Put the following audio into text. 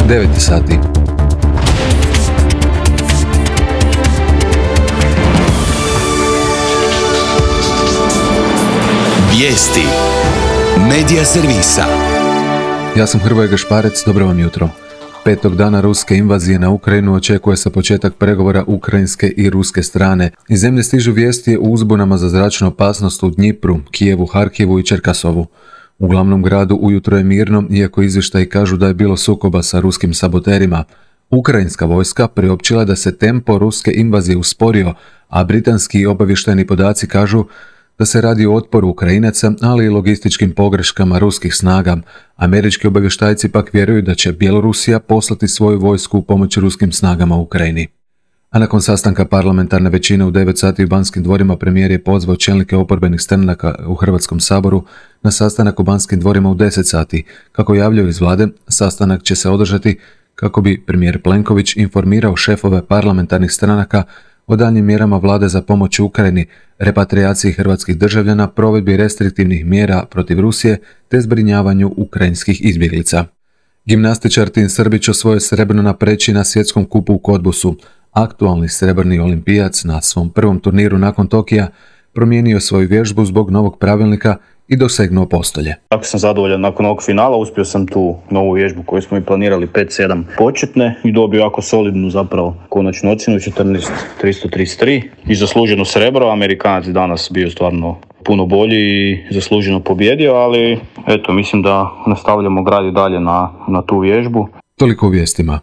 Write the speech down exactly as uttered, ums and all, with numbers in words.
devet sati. Vijesti Medija servisa. Ja sam Hrvoje Gašparec, dobro vam jutro. Petog dana ruske invazije na Ukrajinu očekuje se početak pregovora ukrajinske i ruske strane. Iz zemlje stižu vijesti o uzbunama za zračnu opasnost u Dnjipru, Kijevu, Harkivu i Čerkasovu. U glavnom gradu ujutro je mirno, iako izvještaji kažu da je bilo sukoba sa ruskim saboterima. Ukrajinska vojska priopćila da se tempo ruske invazije usporio, a britanski obavještajni podaci kažu da se radi o otporu Ukrajinaca, ali i logističkim pogreškama ruskih snaga. Američki obavještajci pak vjeruju da će Bjelorusija poslati svoju vojsku u pomoć ruskim snagama u Ukrajini. A nakon sastanka parlamentarne većine u devet sati u Banskim dvorima, premijer je pozvao čelnike oporbenih stranaka u Hrvatskom saboru na sastanak u Banskim dvorima u deset sati. Kako javljaju iz vlade, sastanak će se održati kako bi premijer Plenković informirao šefove parlamentarnih stranaka o daljnjim mjerama vlade za pomoć Ukrajini, repatriaciji hrvatskih državljana, provedbi restriktivnih mjera protiv Rusije te zbrinjavanju ukrajinskih izbjeglica. Gimnastičar Tin Srbić osvojio srebrno na preći na svjetskom kupu u Kodbusu. Aktualni srebrni olimpijac na svom prvom turniru nakon Tokija promijenio svoju vježbu zbog novog pravilnika i dosegnuo postolje. Tako sam zadovoljan nakon ovog finala, uspio sam tu novu vježbu koju smo i planirali pet sedam početne i dobio jako solidnu zapravo konačnu ocjenu četrnaest tristo trideset tri i zasluženo srebro. Amerikanac je danas bio stvarno puno bolji i zasluženo pobjedio, ali eto, mislim da nastavljamo graditi dalje na, na tu vježbu. Toliko u vijestima.